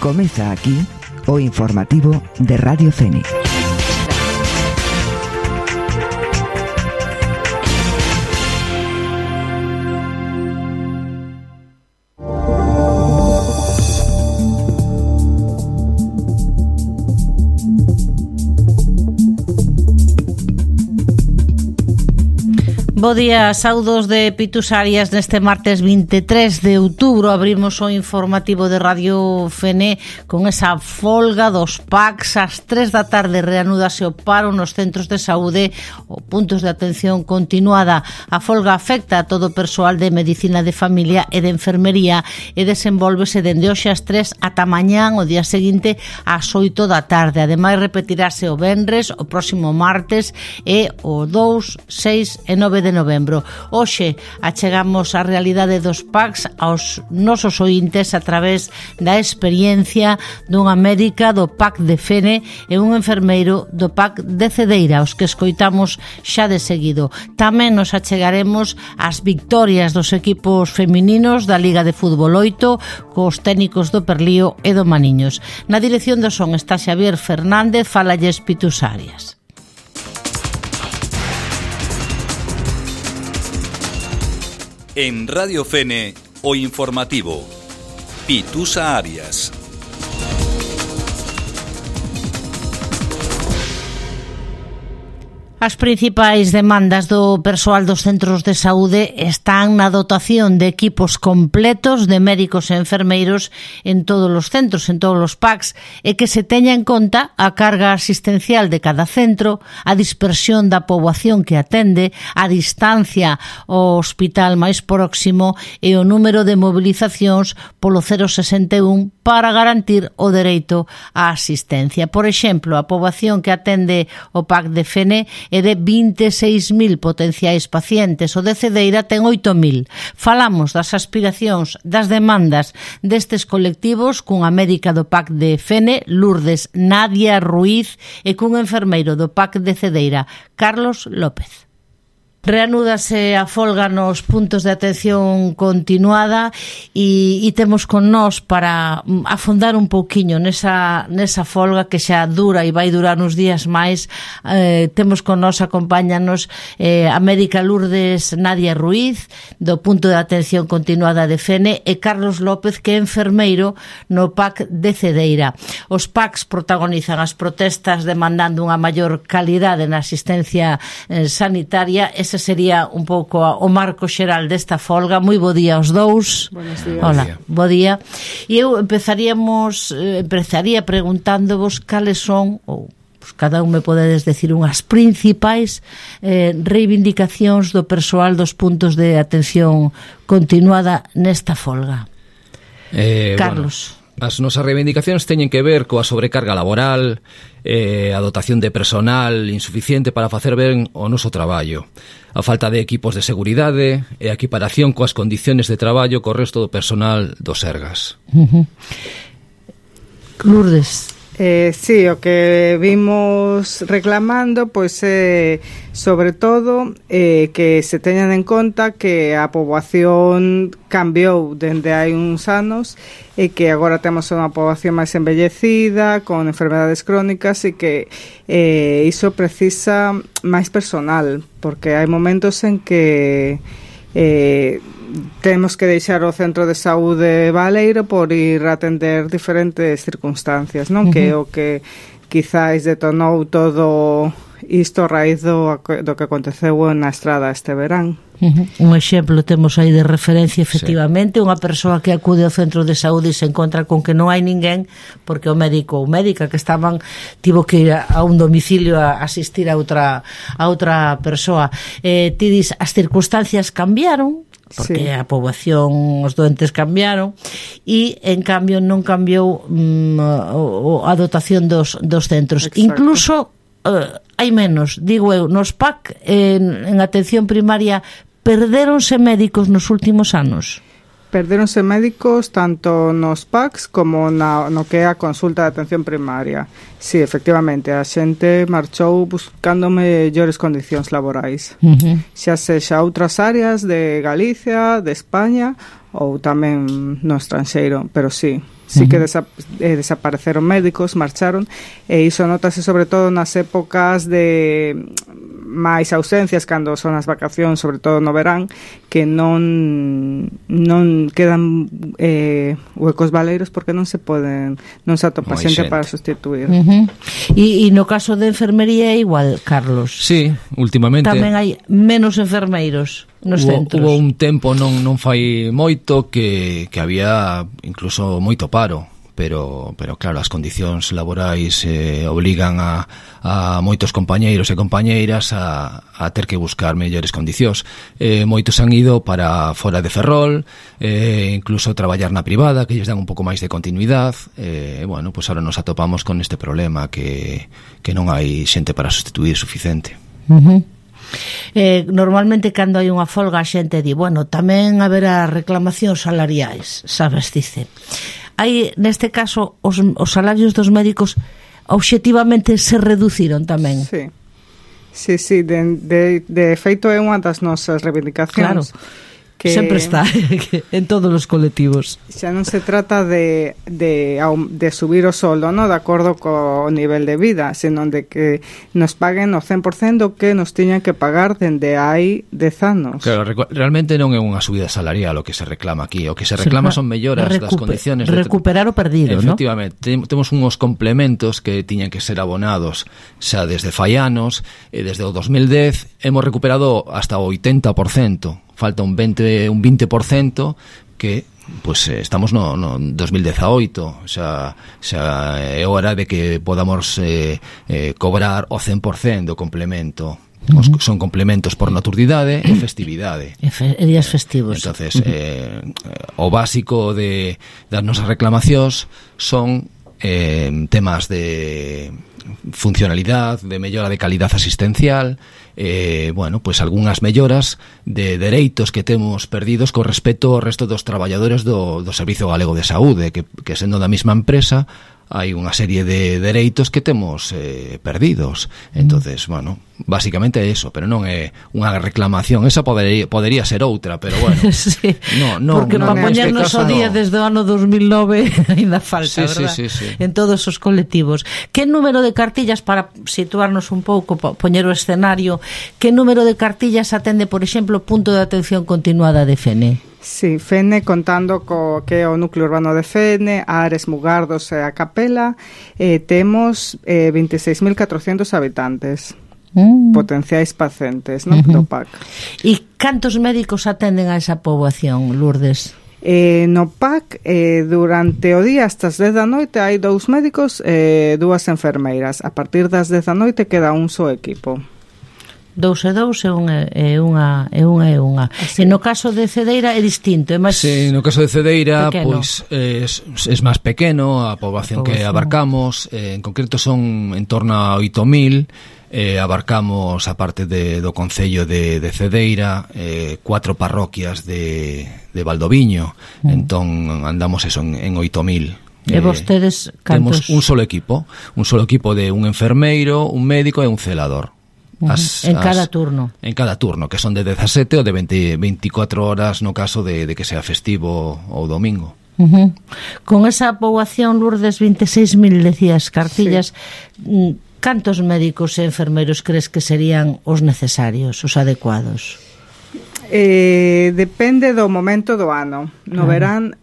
Comeza aquí o informativo de Radio Fene. Bo día, saudos de Pitus Arias. Neste martes 23 de outubro abrimos o informativo de Radio Fene con esa folga dos PACs. Ás 3 da tarde reanúdase o paro nos centros de saúde ou puntos de atención continuada. A folga afecta a todo o persoal de medicina de familia e de enfermería e desenvolvese dende hoxe ás 3 ata mañán o día seguinte ás 8 da tarde. Ademais repetirase o venres, o próximo martes e o 2, 6 e 9 de novembro. Hoxe achegamos a realidade dos PACs aos nosos ointes a través da experiencia dunha médica do PAC de Fene e un enfermeiro do PAC de Cedeira, os que escoitamos xa de seguido. Tamén nos achegaremos ás victorias dos equipos femininos da Liga de Fútbol 8 cos técnicos do Perlío e do Maniños. Na dirección do son está Xavier Fernández, falalles Pitus Arias. En Radio Fene, o informativo. Pitus Arias. As principais demandas do persoal dos centros de saúde están na dotación de equipos completos de médicos e enfermeiros en todos os centros, en todos os PACs, e que se teña en conta a carga asistencial de cada centro, a dispersión da poboación que atende, a distancia ao hospital máis próximo e o número de mobilizacións polo 061 para garantir o dereito á asistencia. Por exemplo, a poboación que atende o PAC de Fene é de 26.000 potenciais pacientes, o de Cedeira ten 8.000. Falamos das aspiracións, das demandas destes colectivos cunha médica do PAC de Fene, Lourdes Nadia Ruiz, e cun enfermeiro do PAC de Cedeira, Carlos López. Reanúdase a folga nos puntos de atención continuada e temos con nós para afondar un pouquiño nesa folga que xa dura e vai durar uns días máis. Temos con nós, acompáñanos a médica Lourdes Nadia Ruiz do punto de atención continuada de Fene e Carlos López, que é enfermeiro no PAC de Cedeira. Os PACs protagonizan as protestas demandando unha maior calidade na asistencia sanitaria. Ese sería un pouco o marco xeral desta folga. Moi bo día aos dous. Buenos días. Hola, bo día. E eu empezaría preguntándovos cales son, ou cada un me podedes decir unhas principais reivindicacións do persoal dos puntos de atención continuada nesta folga. Carlos. Bueno, as nosas reivindicacións teñen que ver coa sobrecarga laboral, a dotación de personal insuficiente para facer ben o noso traballo, a falta de equipos de seguridade e a equiparación coas condiciones de traballo co resto do personal do Sergas. Lourdes. Sí, o que vimos reclamando pois sobre todo que se teñan en conta que a poboación cambiou dende hai uns anos e que agora temos unha poboación máis envellecida con enfermedades crónicas e que iso precisa máis personal, porque hai momentos en que temos que deixar o centro de saúde baleiro por ir a atender diferentes circunstancias, non? Que é o que quizáis detonou todo isto a raíz do que aconteceu na estrada este verán. Un exemplo temos aí de referencia, efectivamente, unha persoa que acude ao centro de saúde e se encontra con que non hai ninguén porque o médico ou médica que estaban tivo que ir a un domicilio a asistir a outra persoa. Ti dis, as circunstancias cambiaron, porque a poboación, os doentes cambiaron e en cambio non cambiou a dotación dos centros. Exacto. Incluso hai menos, digo eu, nos PAC en atención primaria perdéronse médicos nos últimos anos. Perderonse médicos tanto nos PACs como no que é a consulta de atención primaria. Sí, efectivamente, a xente marchou buscando mellores condicións laborais. Xa sexa outras áreas de Galicia, de España ou tamén no estranxeiro, pero sí. sí que desapareceron médicos, marcharon, e iso notase sobre todo nas épocas de máis ausencias, cando son as vacacións, sobre todo no verán, que non quedan huecos baleiros porque non se atopa xente para sustituir. E no caso de enfermería é igual, Carlos? Sí, últimamente tamén hai menos enfermeiros nos centros. Hubo un tempo non fai moito que había incluso moito paro, pero claro, as condicións laborais obligan a moitos compañeiros e compañeiras a ter que buscar mellores condicións. Moitos han ido para fora de Ferrol, incluso traballar na privada, que lles dan un pouco máis de continuidade. Bueno, pues ahora nos atopamos con este problema que non hai xente para sustituir suficiente. Normalmente cando hai unha folga a xente di, bueno, tamén haberá reclamacións salariais, sabes, dice. Hai, neste caso, os salarios dos médicos obxectivamente se reduciron tamén. Sí, de feito é unha das nosas reivindicacións. Claro. Que sempre está en todos os colectivos. Xa non se trata de subir o soldo, no, de acordo co nivel de vida, senón de que nos paguen o 100% do que nos tiñan que pagar dende hai 10 anos. Claro, realmente non é unha subida salarial o que se reclama aquí, o que se reclama son melloras das condiciones de recuperar o perdido, ¿no? Efectivamente, temos uns complementos que tiñan que ser abonados xa desde fai anos, e desde o 2010 hemos recuperado hasta o 80%. Falta un 20% que pues estamos no 2018, xa é hora de que podamos cobrar o 100% do complemento. Son complementos por noturdidade e festividade e días festivos. Entonces o básico das nosas reclamacións son temas de funcionalidade, de mellora de calidad asistencial, bueno, pues algunhas melloras de dereitos que temos perdidos con respecto ao resto dos traballadores do Servizo Galego de Saúde, que sendo da mesma empresa hai unha serie de dereitos que temos perdidos. Entonces, bueno, básicamente é eso, pero non é unha reclamación. Esa podería ser outra, pero bueno. Sí, porque para poñernos o día desde o ano 2009 ainda falta, verdad? Sí. En todos os colectivos. Que número de cartillas, para situarnos un pouco, poñer o escenario, que número de cartillas atende, por exemplo, punto de atención continuada de Fene? Sí, Fene, contando que é o núcleo urbano de Fene, Ares, Mugardos e a Capela, temos 26.400 habitantes, potenciais pacientes, non? Do PAC. E cantos médicos atenden a esa poboación, Lourdes? No PAC, durante o día hasta as 10 da noite hai 2 médicos e 2 enfermeiras. A partir das 10 da noite queda un só equipo. 2 e unha. E no caso de Cedeira é distinto, é máis. Sí, no caso de Cedeira, pois é máis pequeno a poboación que abarcamos, en concreto son en torno a 8.000, abarcamos a parte do concello de Cedeira, 4 parroquias de Valdoviño, entón andamos eso en 8.000. E vostedes cantos? Temos un solo equipo de un enfermeiro, un médico e un celador. En cada turno, que son de 17 ou de 24 horas no caso de que sea festivo ou domingo. Con esa poboación, Lourdes, 26.000 decías cartillas, sí. Cantos médicos e enfermeiros crees que serían os necesarios, os adecuados? Depende do momento do ano. No verán,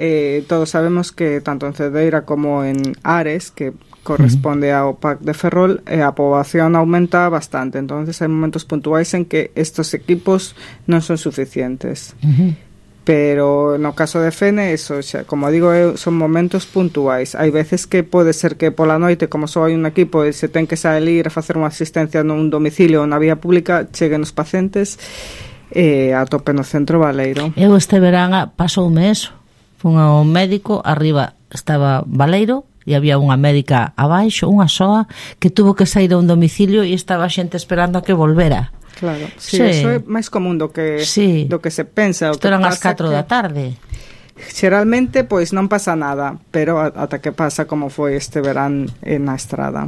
todos sabemos que tanto en Cedeira como en Ares, que corresponde ao PAC de Ferrol, a poboación aumenta bastante, entonces hai momentos puntuais en que estos equipos non son suficientes. Pero no caso de Fene, eso xa, como digo, son momentos puntuais. Hai veces que pode ser que pola noite, como só hai un equipo e se ten que salir a facer unha asistencia nun domicilio ou na vía pública, cheguen os pacientes a tope no centro baleiro. Eu este verán pasoume eso. Fun ao médico, arriba estaba baleiro e había unha médica abaixo, unha soa, que tuvo que sair a un domicilio e estaba a xente esperando a que volvera. Claro, sí. Eso é máis común do que se pensa. Isto eran as 4 da tarde. Xeralmente, pois non pasa nada, pero ata que pasa como foi este verán na estrada.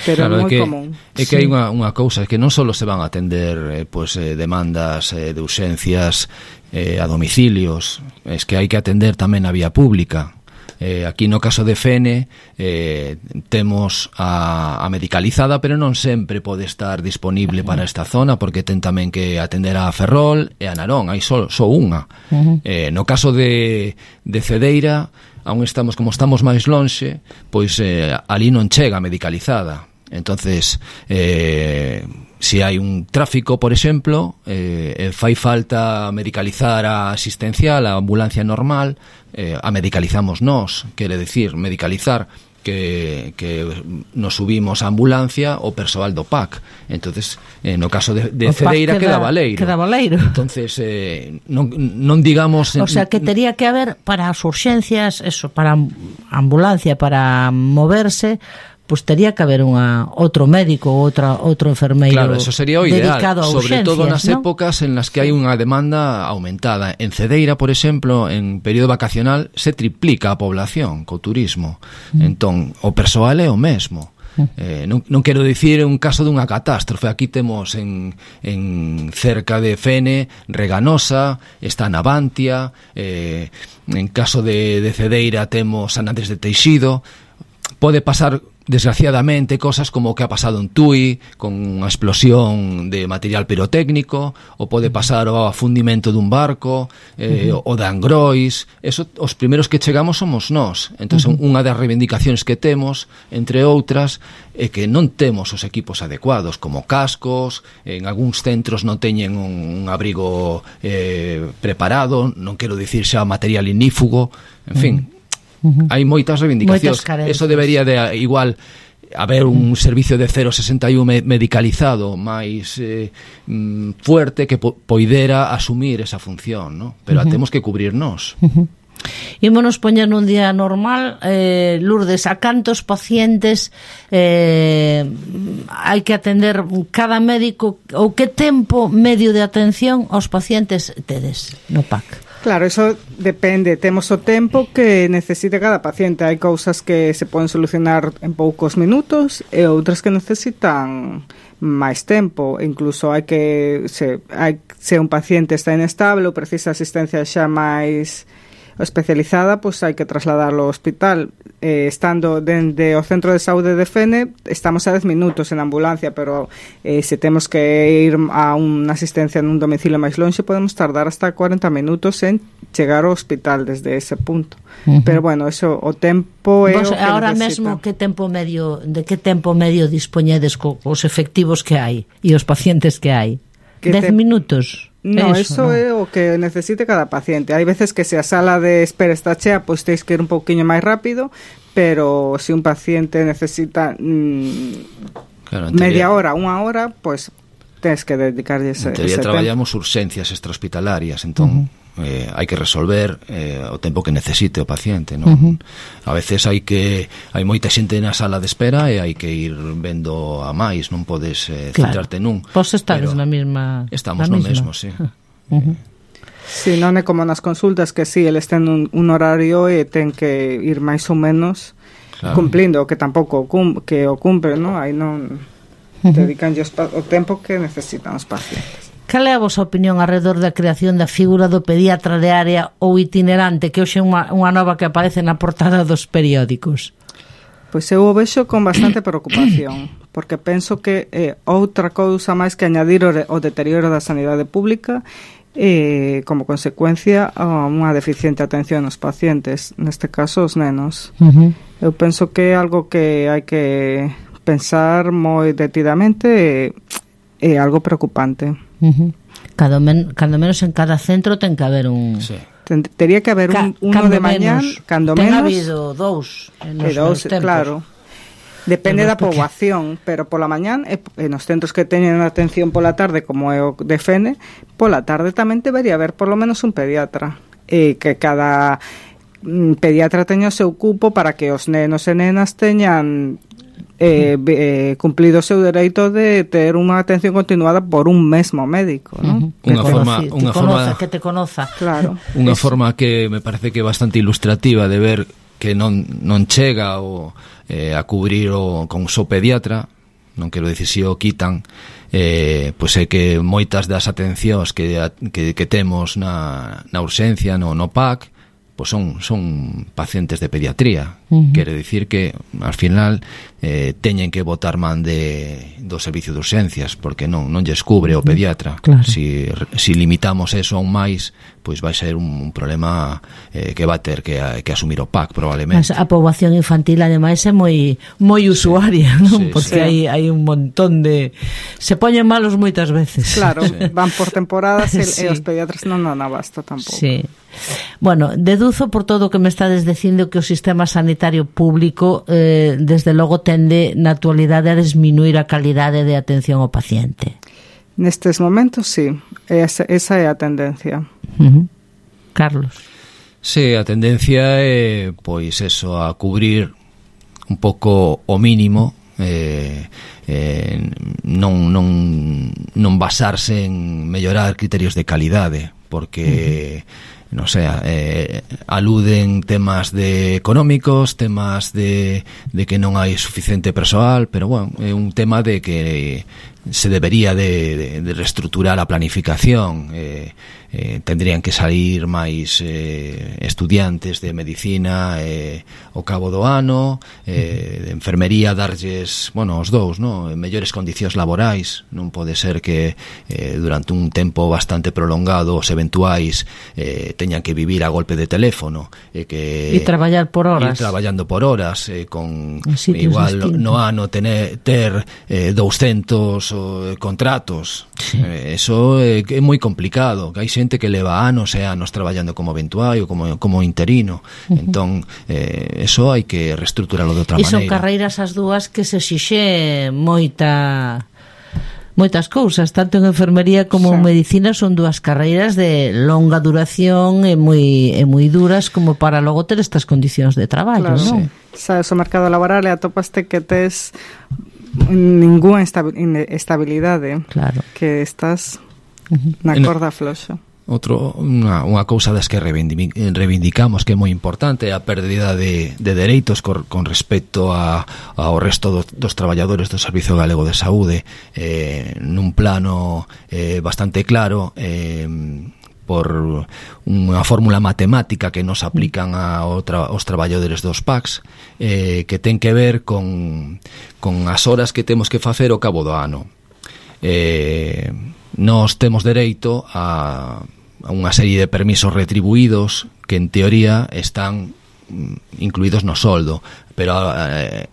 Pero claro, é moi común. É que hai unha cousa, é que non só se van a atender demandas de urxencias a domicilios, é que hai que atender tamén a vía pública. Aquí no caso de Fene temos a medicalizada, pero non sempre pode estar disponible para esta zona, porque ten tamén que atender a Ferrol e a Narón, hai só unha. No caso de Cedeira, aún como estamos máis lonxe, pois ali non chega medicalizada. Entonces, se hai un tráfico, por exemplo, fai falta medicalizar a asistencial, a ambulancia normal, a medicalizamos nós, quere decir, medicalizar que nos subimos a ambulancia o persoal do PAC. Entonces, no caso de Cedeira queda Baleiro. Entonces, non digamos... O sea, que tería que haber para as urxencias, eso, para ambulancia, para moverse, pues tería que haber outro médico ou outro enfermeiro. Claro, eso sería o ideal, dedicado a urxencias, sobre todo nas ¿no? épocas en las que hai unha demanda aumentada. En Cedeira, por exemplo, en período vacacional se triplica a población co turismo. Entón, o persoal é o mesmo. Non quero dicir un caso dunha catástrofe. Aquí temos en cerca de Fene, Reganosa, está Navantia, en caso de Cedeira temos San Andrés de Teixido. Pode pasar, desgraciadamente, cosas como o que ha pasado en Tui, con unha explosión de material pirotécnico, ou pode pasar o afundimento dun barco, o de Angrois. Eso, os primeros que chegamos somos nós. Entón, unha das reivindicacións que temos, entre outras, é que non temos os equipos adecuados, como cascos, en algúns centros non teñen un abrigo preparado, non quero dicir xa material inífugo, en fin... Hai moitas reivindicacións. Eso debería de igual haber un servicio de 061 medicalizado máis fuerte que poidera asumir esa función, ¿no? Pero temos que cubrirnos. Ímonos poñer nun día normal, Lourdes, a cantos pacientes hai que atender cada médico, ou que tempo medio de atención aos pacientes tedes no PAC? Claro, eso depende. Temos o tempo que necesite cada paciente. Hai cousas que se poden solucionar en poucos minutos e outras que necesitan máis tempo. Incluso hai que se un paciente está inestable ou precisa asistencia xa máis especializada, pois hai que trasladarlo ao hospital. Estando dende o centro de saúde de Fene, estamos a 10 minutos en ambulancia, pero se temos que ir a unha asistencia nun domicilio máis lonxe, podemos tardar hasta 40 minutos en chegar ao hospital desde ese punto. Pero bueno, eso, o tempo é o que ahora necesita. mesmo de que tempo medio dispoñedes cos efectivos que hai e os pacientes que hai? 10 minutos? No, eso é o que necesite cada paciente. Hai veces que se a sala de espera está chea, pois teis que ir un pouquiño máis rápido, pero se un paciente necesita media hora, unha hora, pois tens que dedicarlle ese tempo. En teoría traballamos urxencias extrahospitalarias, entón hai que resolver o tempo que necesite o paciente, non? A veces hai moita xente na sala de espera e hai que ir vendo a máis, non podes centrarte nun. Vos estades na mesma... Estamos no mesmo, sí. Si, non é como nas consultas que si, eles ten un horario e ten que ir máis ou menos cumplindo, que tampouco que o cumpre, non? Aí non dedican o tempo que necesitan os pacientes. Cal é a vosa opinión alrededor da creación da figura do pediatra de área ou itinerante, que hoxe é unha nova que aparece na portada dos periódicos? Pois eu o vexo con bastante preocupación, porque penso que outra cousa máis que añadir o deterioro da sanidade pública como consecuencia a unha deficiente atención aos pacientes, neste caso os nenos. Eu penso que é algo que hai que pensar moi detidamente e algo preocupante. Cando menos en cada centro ten que haber un... Sí. Tería que haber uno de mañán, cando ten menos... habido dous tempos. Claro. Depende da poboación, pero pola mañán, nos centros que teñen atención pola tarde, como é o de Fene, pola tarde tamén debería haber por lo menos un pediatra. Que cada pediatra teña o seu cupo para que os nenos e nenas teñan... cumplido o seu dereito de ter unha atención continuada por un mesmo médico, ¿no? Unha forma que te conoza. Claro. Unha forma que me parece que é bastante ilustrativa de ver que non chega a cubrir con o seu pediatra, non quero dicir se o quitan, pois é que moitas das atencións que temos na urxencia, no PAC, pues son pacientes de pediatría. Quere dicir que al final teñen que botar man do servicio de urxencias, porque non lles cubre o pediatra. Claro. Si limitamos eso aún máis, pois vai ser un problema que va a ter que asumir o PAC probablemente. Mas a poboación infantil ademais é moi usuaria, non? Sí, Porque hai un montón de... Se poñen malos moitas veces. Claro, van por temporadas Sí. e os pediatras non dan abasto tampouco. Sí. Bueno, deduzo por todo o que me estades dicindo que o sistema sanitario público desde logo tende na actualidade a disminuir a calidade de atención ao paciente. Nestes momentos, sí. Esa é a tendencia. Carlos. Sí, a tendencia é, pois, eso, a cubrir un pouco o mínimo, non basarse en mellorar criterios de calidade, porque non sei, aluden temas de económicos, temas de que non hai suficiente persoal, pero bueno, é un tema de que se debería de reestructurar a planificación. Tendrían que salir máis estudiantes de medicina ao cabo do ano, de enfermería darlles, bueno, os dous, no? Mellores condicións laborais. Non pode ser que durante un tempo bastante prolongado os eventuais teñan que vivir a golpe de teléfono e traballar por horas. Ir traballando por horas, con igual distintos. no ano ter 200 contratos. Sí. Eso é moi complicado, que hai xente que leva anos e anos traballando como eventuario, como interino. Entón, eso hai que reestruturarlo de outra E maneira. son carreiras as dúas que se exixe moitas cousas, tanto en enfermería como en medicina. Son dúas carreiras de longa duración e moi duras como para logo ter estas condicións de traballo, Claro, non? Sabes, o mercado laboral e atopaste que tes ninguna estabilidade. Claro. Que estás na corda floxa. Unha cousa das que reivindicamos que é moi importante é a pérdida de dereitos con respecto ao resto dos traballadores do Servizo Galego de Saúde, nun plano bastante claro, por unha fórmula matemática que nos aplican aos traballadores dos PACs, que ten que ver con as horas que temos que facer ao cabo do ano. Nós temos dereito a unha serie de permisos retribuídos que en teoría están incluídos no soldo, pero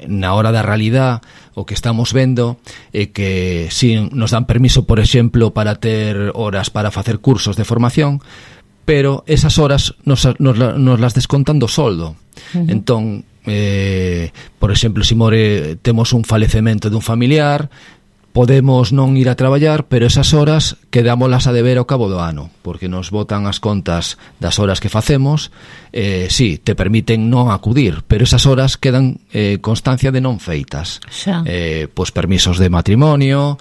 na hora da realidad o que estamos vendo é que si nos dan permiso, por exemplo, para ter horas para facer cursos de formación, pero esas horas nos las descontan do soldo. Entón, por exemplo, se temos un falecemento dun familiar, podemos non ir a traballar, pero esas horas quedámolas a deber ao cabo do ano, porque nos botan as contas das horas que facemos. Sí, te permiten non acudir, pero esas horas quedan constancia de non feitas. Pois permisos de matrimonio,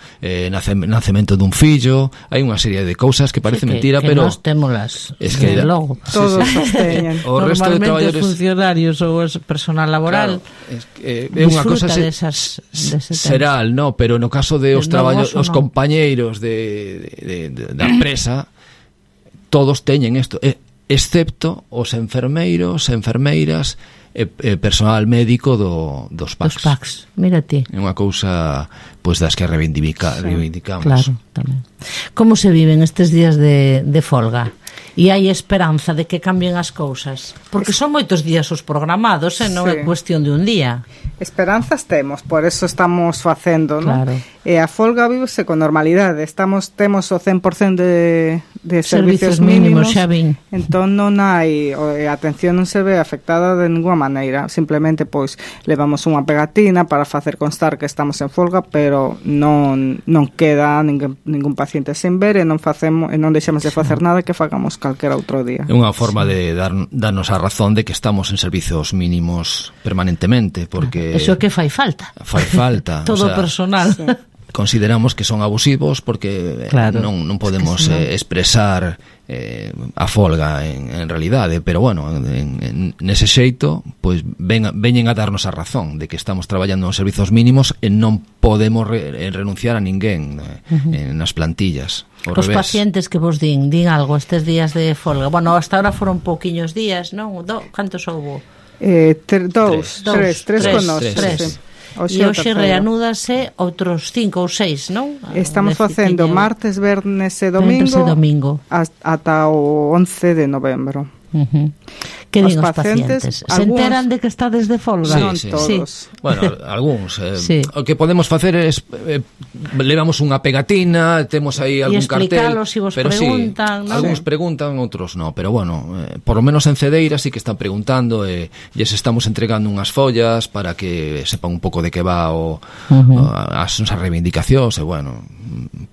nacemento dun fillo, hai unha serie de cousas que parece mentira, que pero nós témolas logo. Todos os teñen. O resto de traballadores, os funcionarios ou o personal laboral, claro, é unha cosa seral, no, pero no caso de os traballadores, os compañeiros da empresa, todos teñen isto, excepto os enfermeiros, enfermeiras e personal médico dos PACs. Dos PACs, mira ti. É unha cousa, pois, das que reivindicamos. Claro, tamén. Como se viven estes días de folga? E hai esperanza de que cambien as cousas? Porque son moitos días os programados, non é cuestión de un día. Esperanzas temos, por eso estamos facendo, claro. Non? E a folga vivese con normalidade. Temos o 100% de servicios mínimos, xa vin. Entón non hai, a atención non se ve afectada de ninguna maneira. Simplemente, pois, levamos unha pegatina para facer constar que estamos en folga, pero non queda ningún paciente sen ver e non deixamos de facer nada que fagamos calquera outro día. É unha forma de darnos a razón de que estamos en servizos mínimos permanentemente, porque eso que fai falta. Fai falta. Todo o personal. consideramos que son abusivos porque claro, non podemos expresar a folga en realidade, pero bueno, nese xeito pois veñen a darnos a razón de que estamos traballando nos servizos mínimos e non podemos renunciar a ninguén nas plantillas. Os pacientes que vos din algo estes días de folga. Bueno, hasta ahora foron pouquiños días, non? Cantos houbo? Tres con nós. E hoxe reanúdase outros 5 ou 6, non? Estamos facendo martes, vernes e domingo ata o 11 de novembro. Que din os pacientes? Se enteran de que estades de folga? Non todos. Bueno, algúns. O que podemos facer é levamos unha pegatina, temos aí algún cartel, si vos preguntan, ¿no? Algúns preguntan, outros non, pero bueno, por lo menos en Cedeira sí que están preguntando e lles estamos entregando unhas follas para que sepan un pouco de que va as reivindicacións e bueno,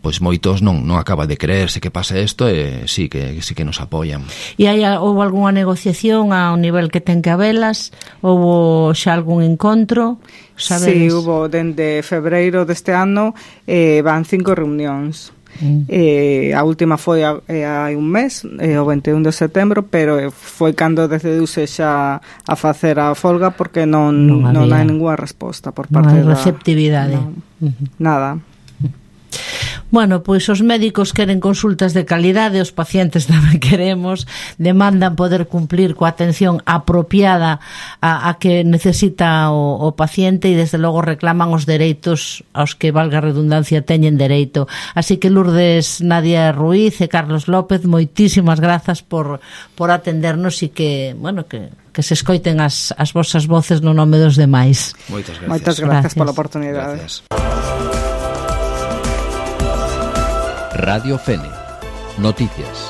pois moitos non acaba de creerse que pasa isto e sí que nos apoian. E houve algunha negociación ao nivel que ten que habelas? Houve xa algún encontro? Sabedes? Sí, hubo dende febreiro deste ano van 5 reunións. A última foi hai un mes, o 21 de setembro, pero foi cando decidiuse xa a facer a folga porque non hai ninguna resposta por parte da receptividade. Nada. Bueno, pois os médicos queren consultas de calidade, os pacientes tamén queremos, demandan poder cumplir coa atención apropiada a que necesita o paciente e desde logo reclaman os dereitos aos que, valga a redundancia, teñen dereito. Así que Lourdes, Nadia Ruiz e Carlos López, moitísimas grazas por atendernos e que, bueno, que se escoiten as vosas voces no nome dos demais. Moitas gracias pola oportunidade. Gracias. Radio Fene. Noticias.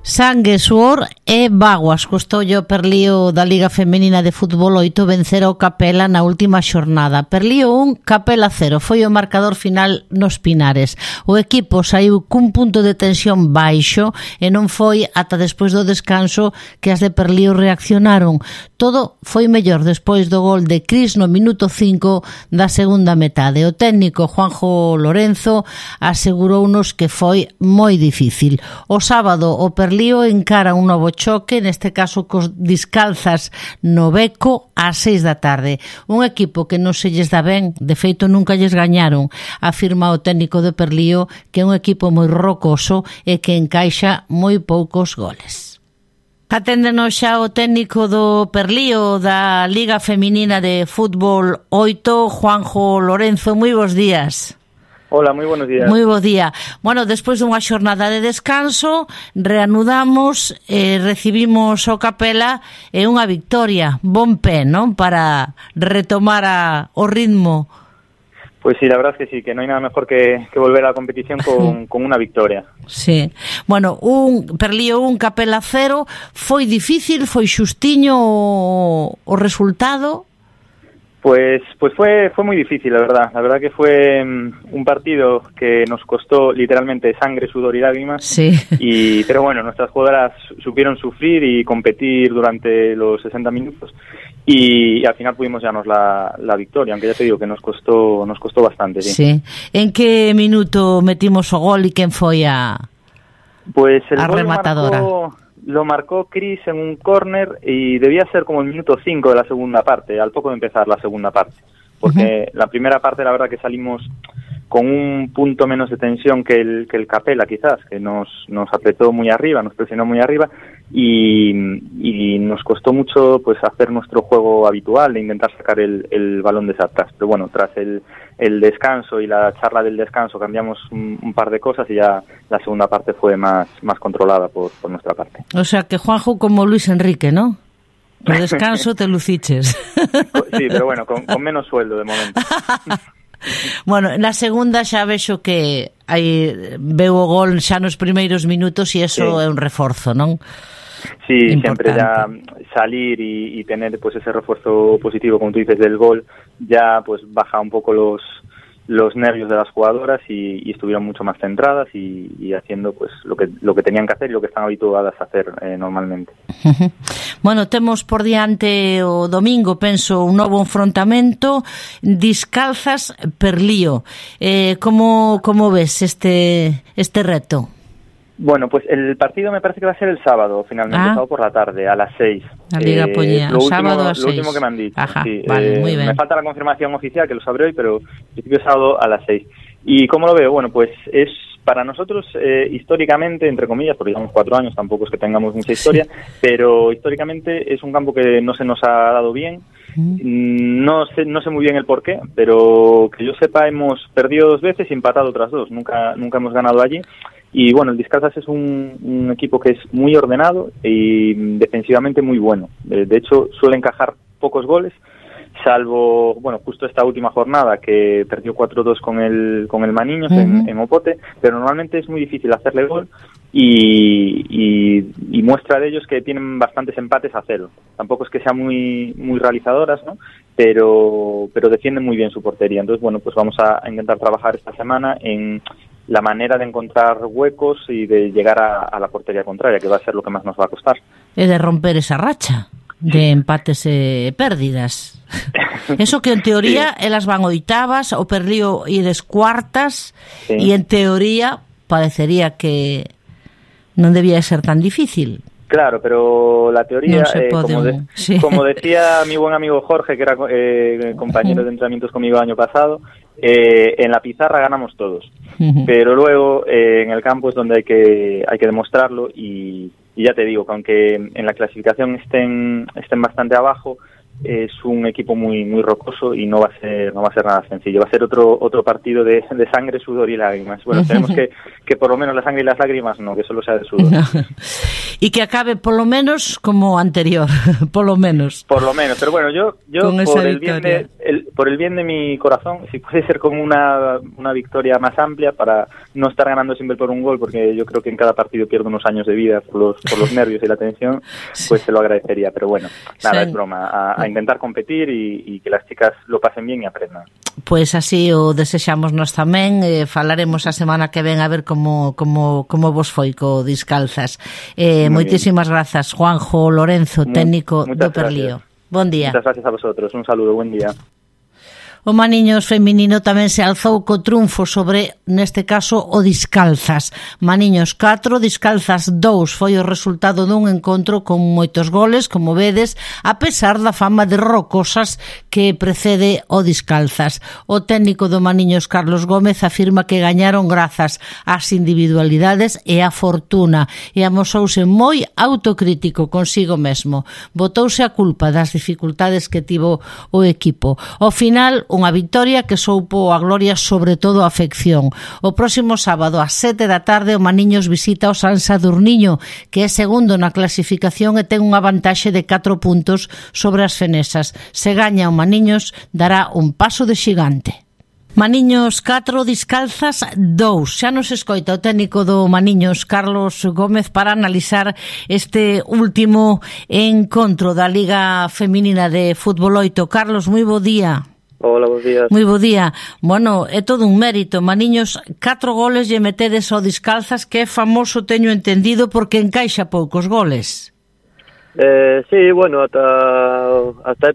Sangue, suor e báguas costoulle o Perlío da Liga Femenina de Fútbol 8 vencer o Capela na última xornada. Perlío 1, Capela 0 foi o marcador final nos Pinares. O equipo saiu cun punto de tensión baixo e non foi ata despois do descanso que as de Perlío reaccionaron. Todo foi mellor despois do gol de Cris no minuto 5 da segunda metade. O técnico Juanjo Lorenzo asegurounos que foi moi difícil. O sábado o Perlío encara un novo choque, neste caso cos Discalzas no Beco ás 6 da tarde. Un equipo que non se lles dá ben, de feito nunca lles gañaron, afirma o técnico de Perlío que é un equipo moi rocoso e que encaixa moi poucos goles. Aténdenos xa o técnico do Perlío da Liga Feminina de Fútbol 8, Juanjo Lorenzo. Moi bons días. Hola, moi buenos días. Moi bo día. Bueno, despois dunha xornada de descanso, reanudamos, recibimos o Capela e unha victoria, bon pé, non? Para retomar o ritmo. Pues sí, la verdad es que sí, que no hay nada mejor que volver a la competición con una victoria. Sí. Bueno, un Perlío 1, Capela 0, foi difícil, foi xustiño o resultado? Pues fue muy difícil, la verdad. La verdad que fue un partido que nos costó literalmente sangre, sudor y lágrimas. Sí. Pero bueno, nuestras jugadoras supieron sufrir y competir durante los 60 minutos y al final pudimos llevarnos la victoria, aunque ya te digo que nos costó bastante. Sí. Sí. En que minuto metimos o gol y quen foi a rematadora? Lo marcó Cris en un córner y debía ser como el minuto 5 de la segunda parte, al poco de empezar la segunda parte. Porque la primera parte, la verdad que salimos con un punto menos de tensión que el Capela, quizás, que nos apretó muy arriba, nos presionó muy arriba y nos costó mucho pues hacer nuestro juego habitual de intentar sacar el balón desde atrás. Pero bueno, tras el descanso y la charla del descanso cambiamos un par de cosas y ya la segunda parte fue más controlada por nuestra parte. O sea que Juanjo como Luis Enrique, ¿no? El descanso te luciches. Sí, pero bueno, con menos sueldo de momento. Bueno, na segunda xa vexo que veu o gol xa nos primeiros minutos e eso sí. É un reforzo, non? Sí, importante. Siempre ya salir y tener pues ese refuerzo positivo, como tú dices, del gol, ya pues baja un poco los los nervios de las jugadoras y estuvieron mucho más centradas y haciendo pues lo que tenían que hacer y lo que están habituadas a hacer normalmente. Bueno, temos por diante o domingo, penso, un novo enfrontamento, Discalzas Perlío. Como ves este reto? Bueno, pues el partido me parece que va a ser el sábado, finalmente, sábado por la tarde, a las 6. La Liga Poñía, sábado a las 6. Lo último que me han dicho. Ajá, sí, vale, muy bien. Me falta la confirmación oficial, que lo sabré hoy, pero en principio sábado a las 6. ¿Y cómo lo veo? Bueno, pues es para nosotros, históricamente, entre comillas, porque llevamos 4 años, tampoco es que tengamos mucha historia, pero históricamente es un campo que no se nos ha dado bien. No sé muy bien el porqué, pero que yo sepa hemos perdido 2 veces y empatado otras 2. Nunca hemos ganado allí. Y bueno, el Discalzas es un equipo que es muy ordenado y defensivamente muy bueno. De hecho, suele encajar pocos goles, salvo, bueno, justo esta última jornada que perdió 4-2 con el Maniños en Opote, pero normalmente es muy difícil hacerle gol y muestra de ellos que tienen bastantes empates a 0. Tampoco es que sean muy realizadoras, ¿no? Pero defienden muy bien su portería. Entonces, bueno, pues vamos a intentar trabajar esta semana en la manera de encontrar huecos y de llegar a la portería contraria, que va a ser lo que más nos va a costar. E de romper esa racha de empates e pérdidas. Eso que en teoría elas van oitavas, o Perlío ides cuartas, e en teoría parecería que non debía ser tan difícil. Claro, pero la teoría, como decía mi buen amigo Jorge, que era compañero de entrenamientos conmigo el año pasado, en la pizarra ganamos todos, pero luego en el campo es donde hay que demostrarlo y ya te digo que aunque en la clasificación estén bastante abajo, es un equipo muy rocoso y no va a ser nada sencillo. Va a ser otro partido de sangre, sudor y lágrimas. Bueno, tenemos que por lo menos la sangre y las lágrimas no, que solo sea de sudor. Y que acabe por lo menos como anterior, por lo menos. Por lo menos, pero bueno, yo por el bien de mi corazón, si puede ser como una victoria más amplia para no estar ganando siempre por un gol, porque yo creo que en cada partido pierdo unos años de vida por los nervios y la tensión, pues te lo agradecería. Pero bueno, nada, es broma. A intentar competir y que las chicas lo pasen bien y aprendan. Pois así o desexamos nós tamén. Falaremos a semana que ven a ver como vos foi co Discalzas. Moitísimas grazas, Juanjo Lorenzo, técnico do Perlío. Bon día. Muchas gracias a vosotros. Un saludo, buen día. O Maniños feminino tamén se alzou co triunfo sobre, neste caso, o Discalzas. Maniños 4, Discalzas 2 foi o resultado dun encontro con moitos goles, como vedes, a pesar da fama de rocosas que precede o Discalzas. O técnico do Maniños, Carlos Gómez, afirma que gañaron grazas ás individualidades e á fortuna, e amosouse moi autocrítico consigo mesmo. Botouse a culpa das dificultades que tivo o equipo. Ao final, unha victoria que soupo a gloria sobre todo a afección. O próximo sábado ás 7 da tarde o Maniños visita o San Sadurniño, que é segundo na clasificación e ten unha vantaxe de 4 puntos sobre as fenesas. Se gaña o Maniños, dará un paso de xigante. Maniños 4, Discalzas 2. Xa nos escoita o técnico do Maniños, Carlos Gómez, para analizar este último encontro da Liga Feminina de Fútbol 8. Carlos, moi bo día. Hola, bons días. Moi bo día. Bueno, é todo un mérito. Maniños, 4 goles lle metedes ao Discalzas, que é famoso, teño entendido, porque encaixa poucos goles. Sí, bueno, hasta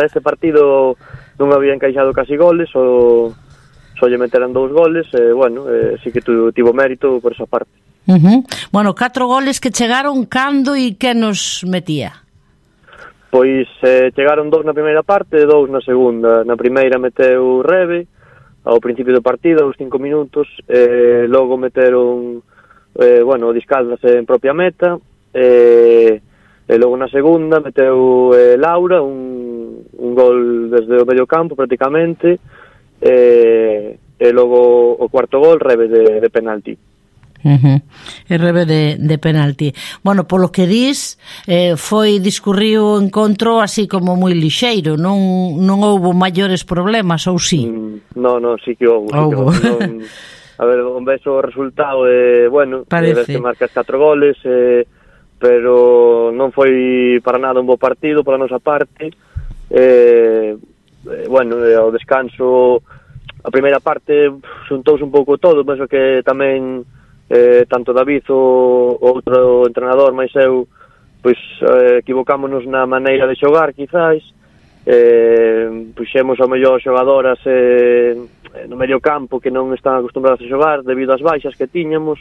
este partido non había encaixado casi goles, só lle meteran 2 goles, bueno, sí que tivo mérito por esa parte. Bueno, 4 goles que chegaron cando e que nos metía? Pois chegaron 2 na primeira parte e 2 na segunda. Na primeira meteu Rebe ao principio do partido, aos 5 minutos, logo meteron o Discalzas en propia meta, e logo na segunda meteu Laura un gol desde o medio campo prácticamente, e logo o cuarto gol Rebe de penalti. E Rebe de penalti. Bueno, polo que dis, discurriu o encontro así como moi lixeiro, non houbo maiores problemas, ou si? Non, sí que houbo. A ver, un beso o resultado, bueno, ves que marcas 4 goles, pero non foi para nada un bo partido pola nosa parte. Bueno, ao descanso a primeira parte xuntouse un pouco todo, penso que tamén tanto David o outro entrenador máis eu pois equivocámonos na maneira de xogar quizás, puxemos ao mellor xogadoras no medio campo que non están acostumbradas a xogar debido ás baixas que tiñamos.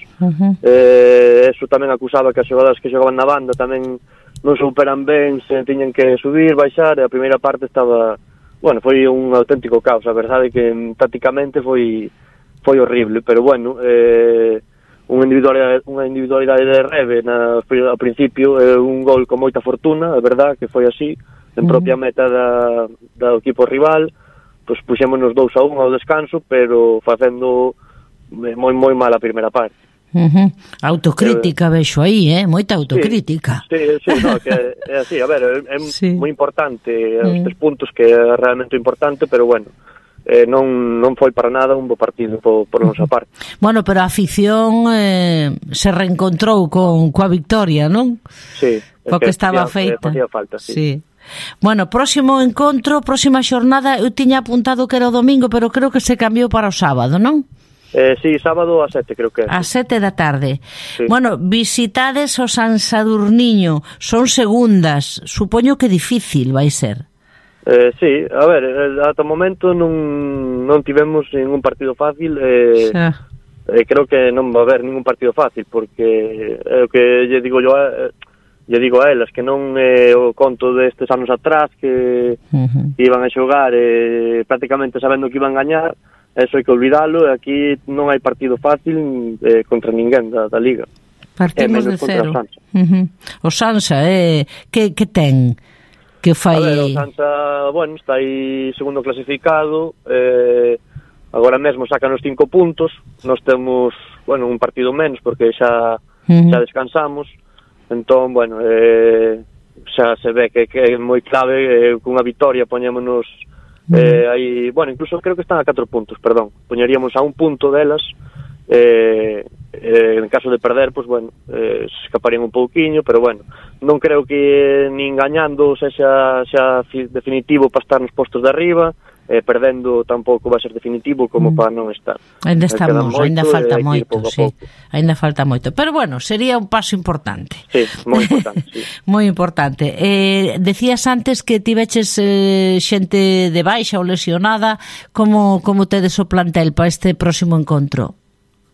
Eso tamén acusaba que as xogadoras que xogaban na banda tamén non superan ben, se tiñan que subir, baixar, e a primeira parte estaba, bueno, foi un auténtico caos, a verdade que tácticamente foi horrible, pero bueno, unha individualidade de Rebe ao principio, un gol con moita fortuna, é verdade que foi así, en propia meta do equipo rival, pois puxémonos 2-1 ao descanso, pero facendo moi mal a primeira parte. Autocrítica vexo aí, moita autocrítica. Sí, no, que é así, a ver, é moi importante os 3 puntos, que é realmente importante, pero bueno, non foi para nada un bo partido por nosa parte. Bueno, pero a afición se reencontrou coa victoria, non? Sí, coa que estaba feita. Facía falta, sí. Bueno, próximo encontro, próxima xornada, eu tiña apuntado que era o domingo, pero creo que se cambiou para o sábado, non? Sí, sábado a 7, creo que é. A 7 da tarde. Sí. Bueno, visitades o San Sadurniño, son segundas, supoño que difícil vai ser. Sí, a ver, ata o momento non tivemos ningún partido fácil, creo que non va a haber ningún partido fácil, porque o que lle digo a elas, que non o conto destes anos atrás que iban a xogar prácticamente sabendo que iban a gañar, eso hai que olvidalo, e aquí non hai partido fácil contra ninguén da Liga. Partimos de cero. O Sansa, que ten? Que fai... A ver, o Sansa, bueno, está aí segundo clasificado, agora mesmo sacanos 5 puntos, nós temos, bueno, un partido menos porque xa descansamos, entón, bueno, xa se ve que é moi clave, cunha victoria poñémonos aí, bueno, incluso creo que están a 4 puntos, perdón, poñeríamos a 1 punto delas, en caso de perder, pues bueno, se escaparían un pouquiño, pero bueno, non creo que nin gañando xa definitivo para estar nos postos de arriba, perdendo tampouco vai ser definitivo como para non estar. Ainda estamos, ainda falta moito, sí. Ainda falta moito, pero bueno, sería un paso importante. Sí, moi importante, sí. Moi importante. Decías antes que tiveches xente de baixa ou lesionada, como tedes o plantel para este próximo encontro?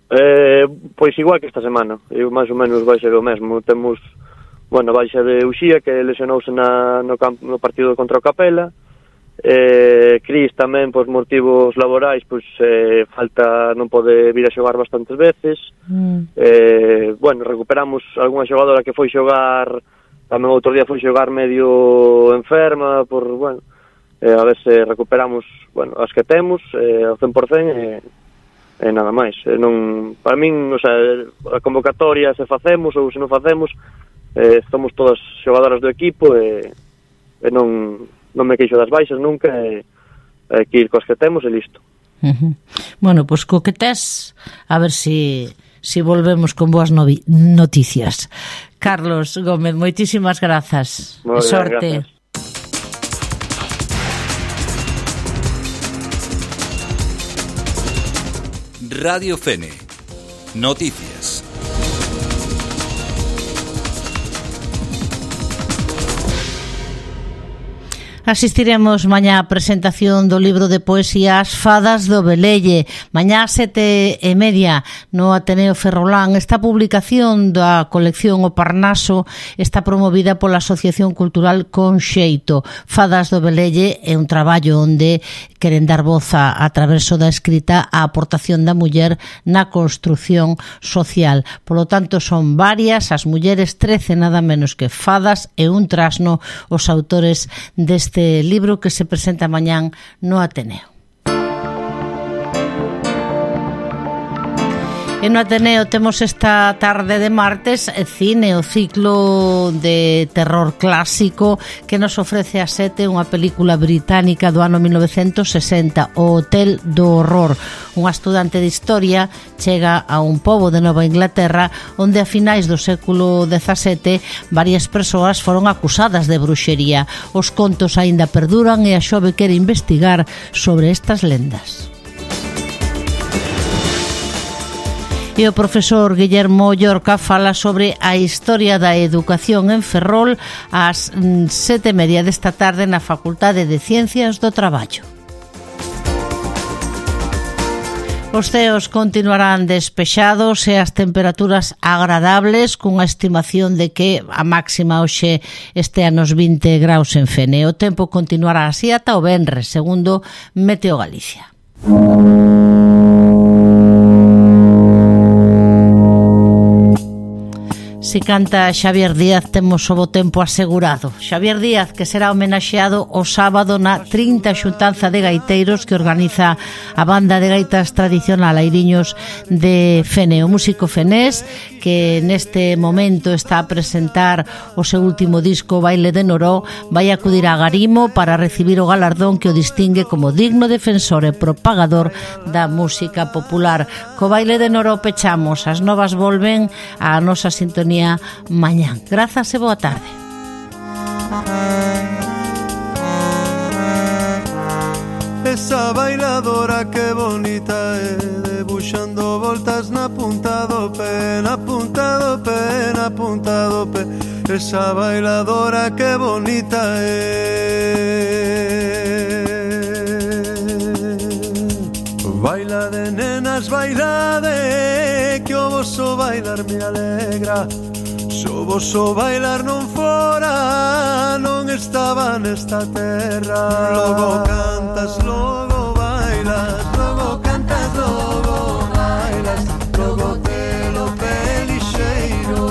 Pois igual que esta semana, eu máis ou menos vai ser o mesmo. Temos, bueno, baixa de Uxía, que lesionouse no partido contra o Capela, Cris tamén, por motivos laborais, pois falta, non pode vir a xogar bastantes veces. Bueno, recuperamos algunha xogadora que foi xogar, tamén outro día foi xogar medio enferma, por, bueno, a ver se recuperamos, bueno, as que temos ao 100%, e nada máis. Non, para min, o sea, a convocatoria se facemos ou se non facemos, estamos todas xogadoras do equipo, e non me queixo das baixas nunca, e que ir coas que temos e listo. Bueno, pois co que tes, a ver si volvemos con boas noticias. Carlos Gómez, moitísimas grazas. Moi ben, sorte. Gracias. Radio Fene. Noticias. Asistiremos mañá á presentación do libro de poesías Fadas do Velelle, mañá ás 7:30 no Ateneo Ferrolán. Esta publicación da colección O Parnaso está promovida pola Asociación Cultural Conxeito. Fadas do Velelle é un traballo onde queren dar voz a través da escrita á aportación da muller na construción social. Polo tanto, son varias as mulleres, 13 nada menos que fadas e un trasno os autores deste libro que se presenta mañán no Ateneo. E no Ateneo temos esta tarde de martes cine, o ciclo de terror clásico que nos ofrece a 7 unha película británica do ano 1960, O Hotel do Horror. Unha estudante de historia chega a un pobo de Nova Inglaterra onde a finais do século XVII varias persoas foron acusadas de bruxería. Os contos aínda perduran e a xove quere investigar sobre estas lendas. E o profesor Guillermo Llorca fala sobre a historia da educación en Ferrol ás 7:30 desta tarde na Facultade de Ciencias do Traballo. Os ceos continuarán despexados e as temperaturas agradables, cunha estimación de que a máxima hoxe estea nos 20 graus en Fene. O tempo continuará así ata o venres, segundo Meteo Galicia. Si canta Xavier Díaz, temos o bo tempo asegurado. Xavier Díaz, que será homenaxeado o sábado na 30 xuntanza de gaiteiros que organiza a banda de gaitas tradicional Airiños de Fene. O músico fenés, que neste momento está a presentar o seu último disco Baile de Noró, vai acudir a Garimo para recibir o galardón que o distingue como digno defensor e propagador da música popular. Co Baile de Noró pechamos, as novas volven á nosa sintonía mañán. Grazas e boa tarde. Esa bailadora que bonita é, debuxando voltas na punta do pé, na punta do pé, na punta do pé. Esa bailadora que bonita é. Baila de nenas, baila de, que o voso bailar me alegra. Se o voso bailar non fora, non estaba nesta terra. Logo cantas, logo bailas, logo cantas, logo bailas, logo te lo pelixeiro.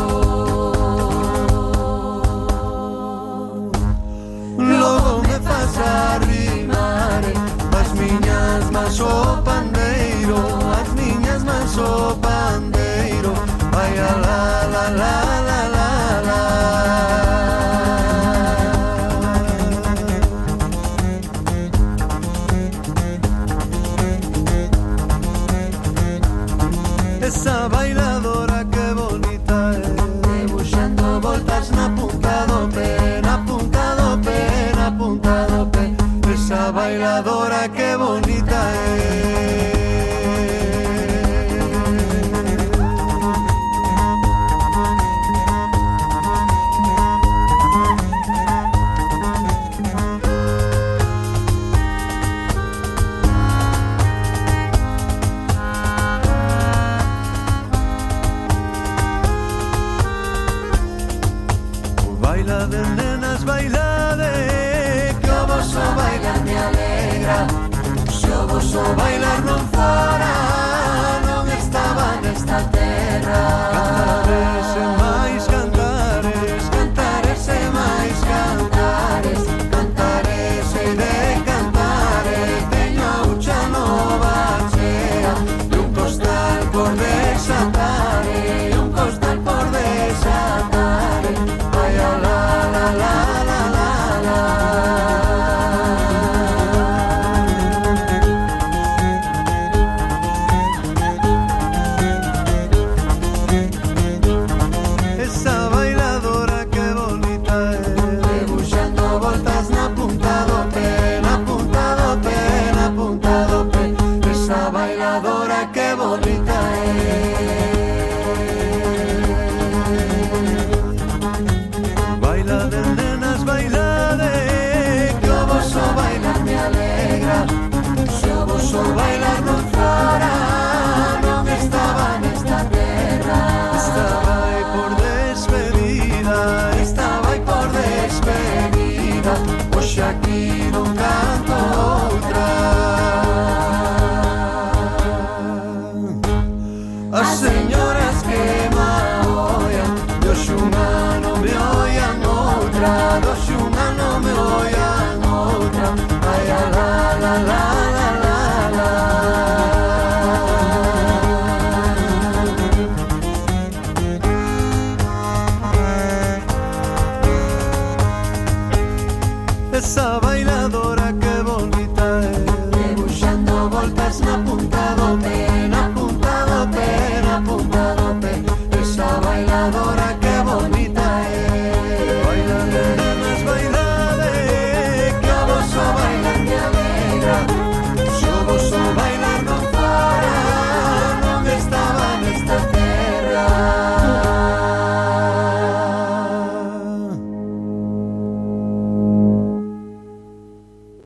Logo me faz arrimar as miñas mans o pandeiro, as miñas mans o pandeiro. Vai a la la la la la la. Esa bailadora que bonita é, debuxando voltas na punta do pé, na punta do pé, na punta do pé. Esa bailadora que bonita é. Baila de nenas, baila de, que o voso bailar me alegra. Se o voso bailar non fora, non estaba nesta terra.